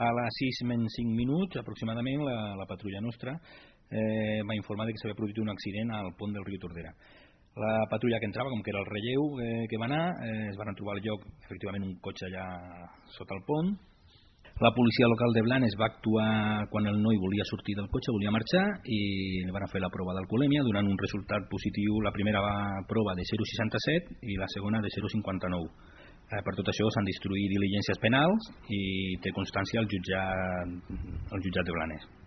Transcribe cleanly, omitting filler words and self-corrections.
A les 6:05 aproximadament la patrulla nostra va informar que s'havia produït un accident al pont del riu Tordera. La patrulla que entrava, com que era el relleu que va anar, es van trobar al lloc efectivament un cotxe allà sota el pont. La policia local de Blanes va actuar quan el noi volia sortir del cotxe, volia marxar, i van fer la prova d'alcoholèmia donant un resultat positiu, la primera prova de 0,67 i la segona de 0,59. Per tot això s'han d'instruir diligències penals i té constància el jutjat de Blanes.